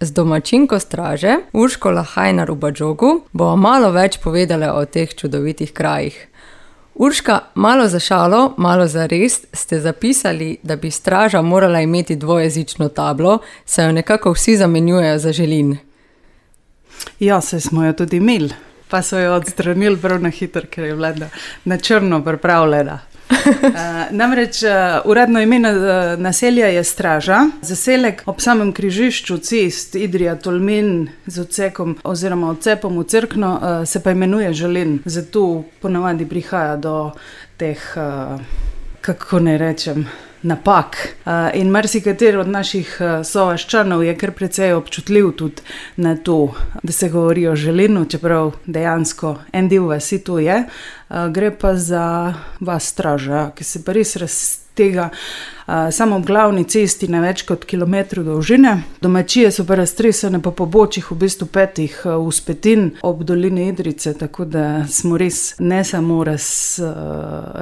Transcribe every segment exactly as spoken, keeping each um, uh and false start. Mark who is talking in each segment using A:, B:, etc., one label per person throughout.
A: Z domačinko straže, Urško Lahajnar v Badžogu, bo malo več povedala o teh čudovitih krajih. Urška, malo za šalo, malo za res ste zapisali, da bi straža morala imeti dvojezično tablo, saj jo nekako vsi zamenjujejo za Želin.
B: Ja, saj smo jo tudi imeli, pa so jo odstranili prav na hitro, ker je bila na črno pripravljena. Uh, namreč uh, uradno ime uh, naselja je Straža. Zaselek ob samem križišču cest Idrija-Tolmin z odsekom oziroma odcepom v Cerkno uh, se pa imenuje Želin. Zato ponavadi prihaja do teh, uh, kako ne rečem, napak. Uh, in marsikateri od naših uh, sovaščanov je kar precej občutljiv tudi na to, da se govori o Želinu, čeprav dejansko en del vasi to je. Uh, gre pa za vas Straža, ki se pa res raztega uh, samo ob glavni cesti na več kot kilometru dolžine. Domačije so pa raztresene po pobočjih v bistvu petih uh, vzpetin ob dolini Idrice, tako da smo res ne samo raz, uh,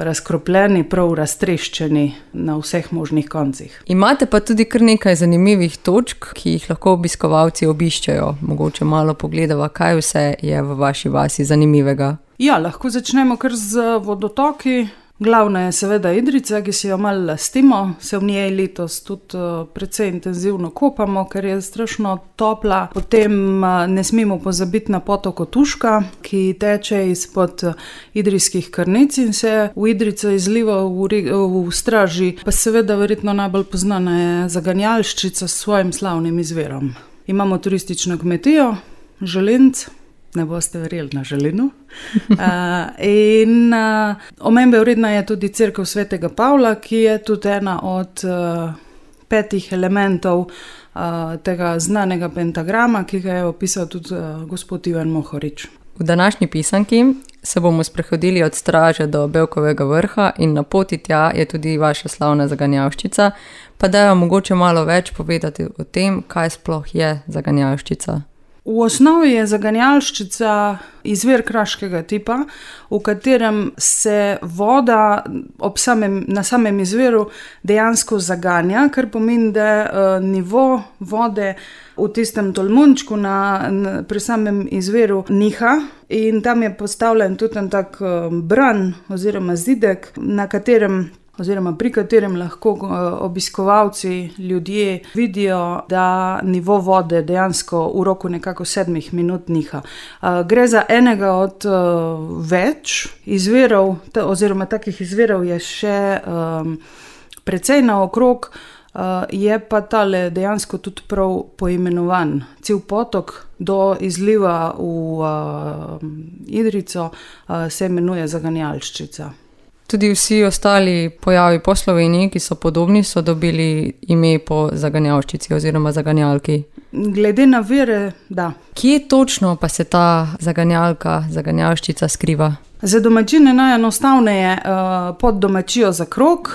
B: razkropljeni, prav raztreščeni na vseh možnih koncih.
A: Imate pa tudi kar nekaj zanimivih točk, ki jih lahko obiskovalci obiščajo. Mogoče malo pogledava, kaj vse je v vaši vasi zanimivega.
B: Ja, lahko začnemo kar z vodotoki. Glavna je seveda Idrica, ki si jo malo lastimo, se v njej letos tudi uh, precej intenzivno kopamo, ker je strašno topla. Potem uh, ne smemo pozabiti na potok Otuška, ki teče izpod uh, idrijskih krnic in se v Idrico izliva v, v Straži, pa seveda verjetno najbolj poznana je Zaganjalščica s svojim slavnim izvirom. Imamo turistično kmetijo, Želinc. Ne boste verjeli na Želinu. Uh, in uh, omembe vredna je tudi cerkev Svetega Pavla, ki je tudi ena od uh, petih elementov uh, tega znanega pentagrama, ki ga je opisal tudi uh, gospod Ivan Mohorič.
A: V današnji pisanki se bomo sprehodili od Straže do Bevkovega vrha in na poti tja je tudi vaša slavna Zaganjavščica, pa da jo mogoče malo več povedati o tem, kaj sploh je Zaganjavščica.
B: V osnovi je Zaganjalščica izvir kraškega tipa, v katerem se voda ob samem, na samem izviru dejansko zaganja, kar pomeni, da uh, nivo vode v tistem tolmunčku na, na, pri samem izviru niha in tam je postavljen tudi en tak uh, bran oziroma zidek, na katerem oziroma pri katerem lahko obiskovalci, ljudje vidijo, da nivo vode dejansko v roku nekako sedmih minut niha. Gre za enega od več izvirov, oziroma takih izvirov je še um, precej naokrog, uh, je pa tale dejansko tudi prav poimenovan. Cel potok do izliva v uh, Idrico uh, se imenuje Zaganjalščica.
A: Tudi vsi ostali pojavi po Sloveniji, ki so podobni, so dobili ime po Zaganjavščici oziroma Zaganjalki.
B: Glede na vire, da.
A: Kje točno pa se ta Zaganjalka, Zaganjavščica skriva?
B: Za domačine najenostavneje uh, pod domačijo za krog,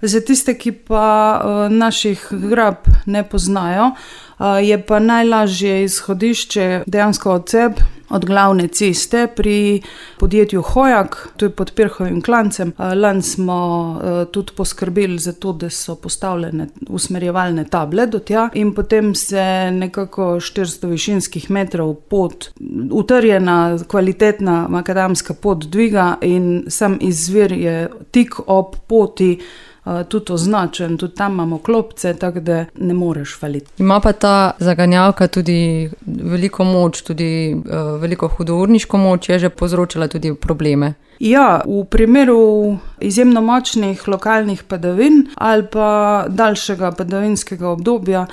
B: za tiste, ki pa uh, naših grab ne poznajo, uh, je pa najlažje izhodišče dejansko odcep od glavne ceste pri podjetju Hojak, to je pod Pirhovim klancem. Lani smo uh, tudi poskrbeli za to, da so postavljene usmerjevalne table do tja in potem se nekako štiristo višinskih metrov pot, utrjena, kvalitetna makadamska pot dviga in sam izvir je tik ob poti Uh, tudi označen, tudi tam imamo klopce, tako da ne moreš faliti.
A: Ima pa ta Zaganjalka tudi veliko moč, tudi uh, veliko hudourniško moč, je že povzročala tudi probleme.
B: Ja, v primeru izjemno močnih lokalnih padavin ali pa daljšega padavinskega obdobja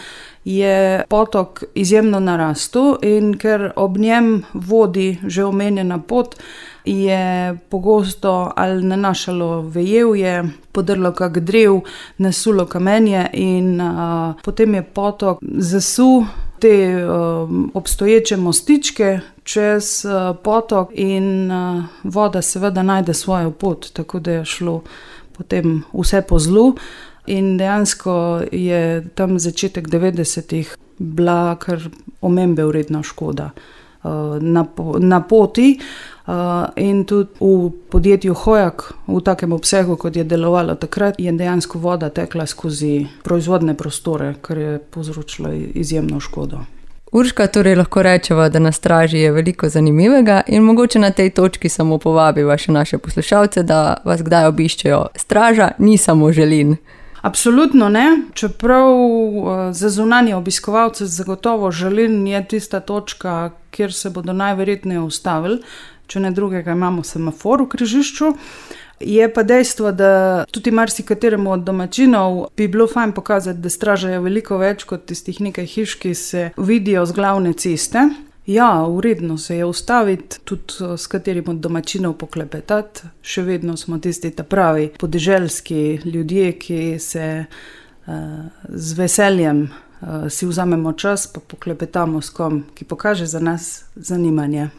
B: je potok izjemno narastel in ker ob njem vodi že omenjena pot, je pogosto ali nanašalo vejevje, podrlo kak drev, nasulo kamenje in a, potem je potok zasul te a, obstoječe mostičke čez a, potok in a, voda seveda najde svojo pot, tako da je šlo potem vse po zlu in dejansko je tam začetek devetdesetih bila kar omembe vredna škoda na, na poti. Uh, in tudi v podjetju Hojak v takem obsegu, kot je delovalo takrat, je dejansko voda tekla skozi proizvodne prostore, kar je povzročilo izjemno škodo.
A: Urška, torej lahko rečeva, da na straži je veliko zanimivega in mogoče na tej točki samo povabiva še naše poslušalce, da vas kdaj obiščejo. Straža ni samo Želin.
B: Absolutno ne, čeprav za zunanje obiskovalce zagotovo Želin je tista točka, kjer se bodo najverjetneje ustavili, če ne drugega imamo semafor v križišču. Je pa dejstvo, da tudi marsikateremu od domačinov bi bilo fajn pokazati, da straža je veliko več kot tistih nekaj hiš, ki se vidijo z glavne ceste. Ja, uredno se je ustaviti, tudi s katerim od domačinov poklepetati. Še vedno smo tisti ta pravi podeželski ljudje, ki se uh, z veseljem uh, si vzamemo čas, pa poklepetamo s kom, ki pokaže za nas zanimanje.